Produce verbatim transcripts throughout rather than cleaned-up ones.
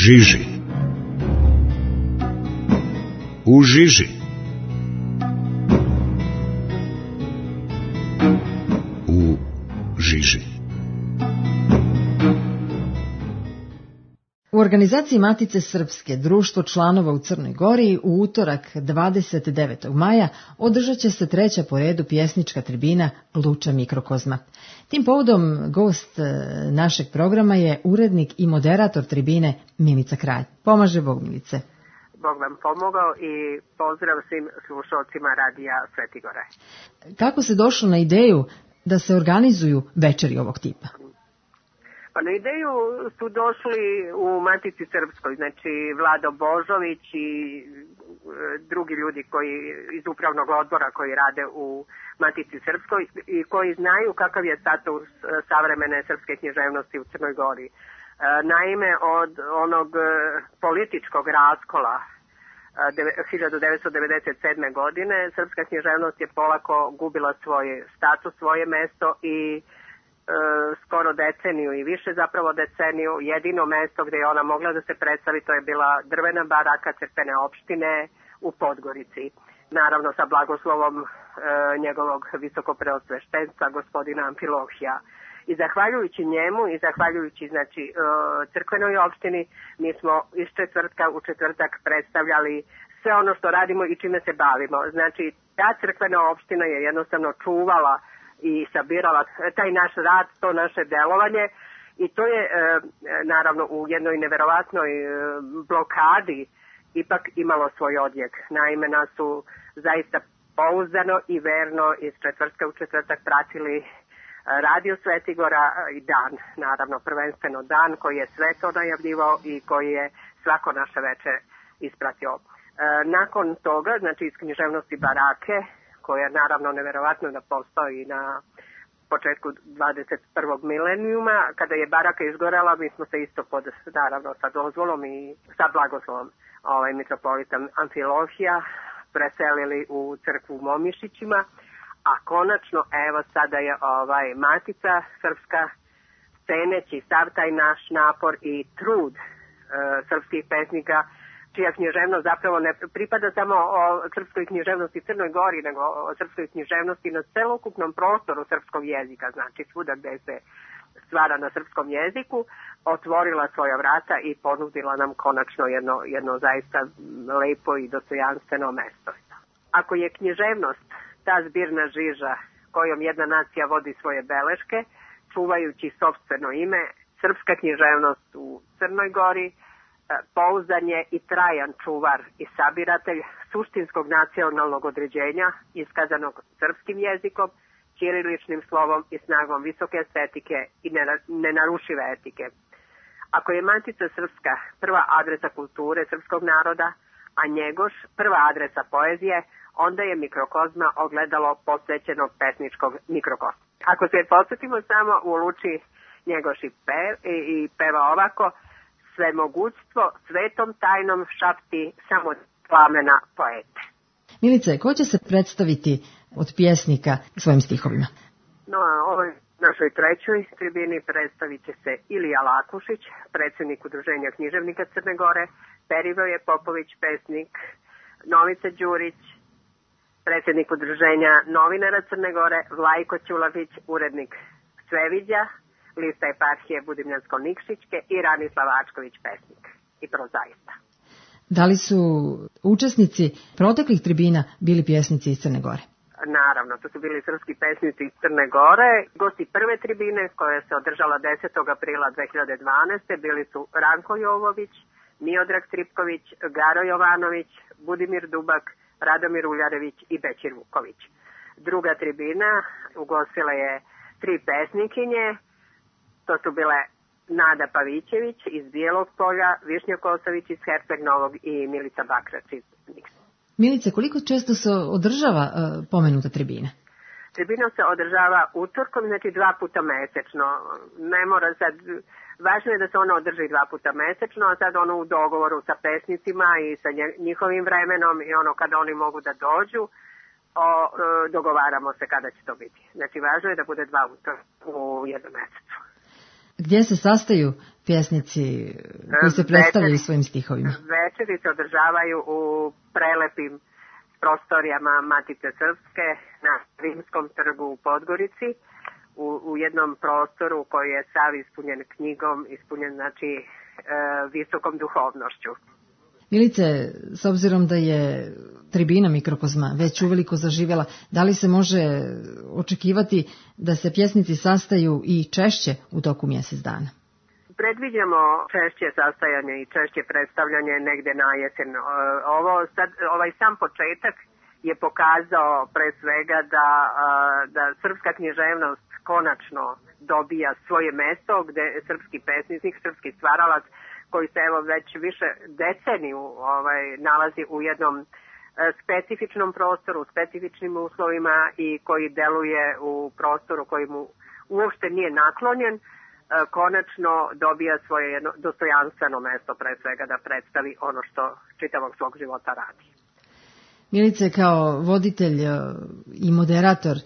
žiži. U žiži. U žiži. U organizaciji Matice Srpske društvo članova u Crnoj Gori u utorak dvadeset devetog maja održat će se treća po redu pjesnička tribina Luča mikrokozma. Tim povodom gost našeg programa je urednik i moderator tribine Milica Kralj. Pomaže Bog, Milice. Bog vam pomogao i pozdrav svim slušalcima radija Svetigora. Kako se došlo na ideju da se organizuju večeri ovog tipa? Pa na ideju su došli u Matici Srpskoj, znači Vlado Božović i drugi ljudi koji iz upravnog odbora koji rade u Matici Srpskoj i koji znaju kakav je status savremene srpske književnosti u Crnoj Gori. Naime, od onog političkog raskola hiljadu devetsto devedeset sedme. godine srpska književnost je polako gubila svoj status, svoje mesto i skoro deceniju i više zapravo deceniju, jedino mesto gdje je ona mogla da se predstavi to je bila drvena baraka Crkvene opštine u Podgorici. Naravno sa blagoslovom e, njegovog visokopreosveštenstva gospodina Amfilohija. I zahvaljujući njemu i zahvaljujući znači e, Crkvenoj opštini mi smo iz četvrtka u četvrtak predstavljali sve ono što radimo i čime se bavimo. Znači ta Crkvena opština je jednostavno čuvala i sabirala taj naš rad, to naše delovanje i to je e, naravno u jednoj neverovatnoj e, blokadi ipak imalo svoj odjek. Naime, nas su zaista pouzdano i verno iz četvrtka u četvrtak pratili radio Svetigora i dan, naravno prvenstveno dan koji je sve to najavljivao i koji je svako naše veče ispratio. E, nakon toga, znači iz književnosti barake, koja je naravno neverovatno da postoji na početku dvadeset prvog milenijuma. Kada je baraka izgorela, mi smo se isto pod, naravno, sa dozvolom i sa blagoslovom ovaj, mitropolita Amfilohija preselili u crkvu u Momišićima, a konačno, evo, sada je ovaj Matica Srpska, ceneći sav taj naš napor i trud e, srpskih pesnika, čija književnost zapravo ne pripada samo o srpskoj književnosti Crnoj Gori, nego o srpskoj književnosti na celokupnom prostoru srpskog jezika, znači svuda gde se stvara na srpskom jeziku, otvorila svoja vrata i ponudila nam konačno jedno, jedno zaista lepo i dostojanstveno mesto. Ako je književnost ta zbirna žiža kojom jedna nacija vodi svoje beleške, čuvajući sopstveno ime, srpska književnost u Crnoj Gori pouzdan je i trajan čuvar i sabiratelj suštinskog nacionalnog određenja iskazanog srpskim jezikom, ćiriličnim slovom i snagom visoke estetike i nenarušive etike. Ako je Matica Srpska prva adresa kulture srpskog naroda, a Njegoš prva adresa poezije, onda je mikrokozma ogledalo posvećenog pesničkog mikrokozma. Ako se podsjetimo samo u Luči Njegoš i, pe, i, i peva ovako: svemogućstvo svetom tajnom šapti samo plamena poete. Milice, ko će se predstaviti od pjesnika svojim stihovima? No, a ovoj našoj trećoj tribini predstavit će se Ilija Lakušić, predsjednik Udruženja književnika Crne Gore, Perivoje Popović, pesnik, Novica Đurić, predsjednik Udruženja novinara Crne Gore, Vlajko Ćulavić, urednik Sveviđa, lista eparhije Budimljansko-Nikšićke i Ranislav Ačković, pesnik i prozaista. Da li su učesnici proteklih tribina bili pjesnici iz Crne Gore? Naravno, to su bili srpski pesnici iz Crne Gore. Gosti prve tribine, koja se održala desetog aprila dve hiljade dvanaeste. bili su Ranko Jovović, Miodrag Tripković, Garo Jovanović, Budimir Dubak, Radomir Uljarević i Bećir Vuković. Druga tribina ugostila je tri pesnikinje. To su bile Nada Pavićević iz Bijelog Polja, Višnja Kosović iz Herceg Novog i Milica Bakrač iz Niksa. Milice, koliko često se održava uh, pomenuta tribina? Tribina se održava utorkom, znači dva puta mesečno. Ne mora sad, važno je da se ona održi dva puta mesečno, a sad ono u dogovoru sa pesnicima i sa njihovim vremenom i ono kada oni mogu da dođu, o, dogovaramo se kada će to biti. Znači važno je da bude dva utorka u jednom mesecu. Gdje se sastaju pjesnici koji se predstavljaju Večeri, svojim stihovima? Večeri se održavaju u prelepim prostorijama Matice Srpske na Rimskom trgu u Podgorici, u, u jednom prostoru koji je sav ispunjen knjigom, ispunjen znači e, visokom duhovnošću. Milice, s obzirom da je tribina Mikrokozma već uveliko zaživjela, da li se može očekivati da se pjesnici sastaju i češće u toku mjesec dana? Predviđamo češće sastajanje i češće predstavljanje negde na jesen. Ovo sad, ovaj sam početak je pokazao pre svega da, da srpska književnost konačno dobija svoje mesto gde srpski pesnik, srpski stvaralac koji se evo već više deceniju ovaj, nalazi u jednom specifičnom prostoru, specifičnim uslovima i koji deluje u prostoru koji mu uopšte nije naklonjen, konačno dobija svoje jedno dostojanstveno mesto pre svega da predstavi ono što čitavog svog života radi. Milice, kao voditelj i moderator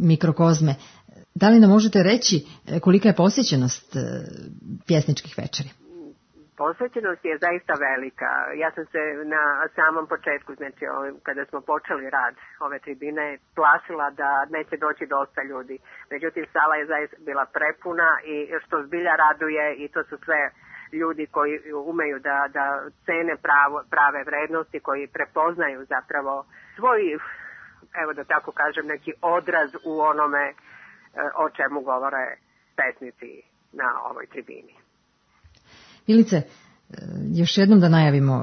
Mikrokozme, da li nam možete reći kolika je posjećenost pjesničkih večeri? Posvećenost je zaista velika. Ja sam se na samom početku, znači kada smo počeli rad ove tribine, plašila da neće doći dosta ljudi. Međutim, sala je zaista bila prepuna i što zbilja raduje i to su sve ljudi koji umeju da, da cene pravo, prave vrednosti, koji prepoznaju zapravo svoj, evo da tako kažem, neki odraz u onome o čemu govore pesnici na ovoj tribini. Milice, još jednom da najavimo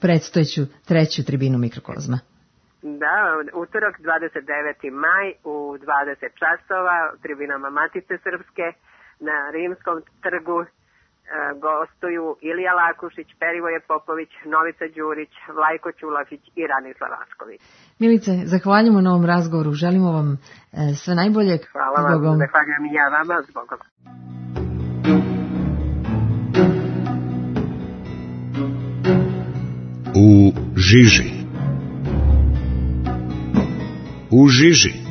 predstojeću treću tribinu Mikrokozma. Da, utorak dvadeset deveti maj u dvadeset časova u tribinama Matice Srpske na Rimskom trgu e, gostuju Ilija Lakušić, Perivoje Popović, Novica Đurić, Vlajko Ćulafić i Ranislav Vašković. Milice, zahvaljujemo na ovom razgovoru, želimo vam e, sve najbolje. Hvala vam, zbogom. Zahvaljujem i ja vama, zbogom. U žiži. U žiži.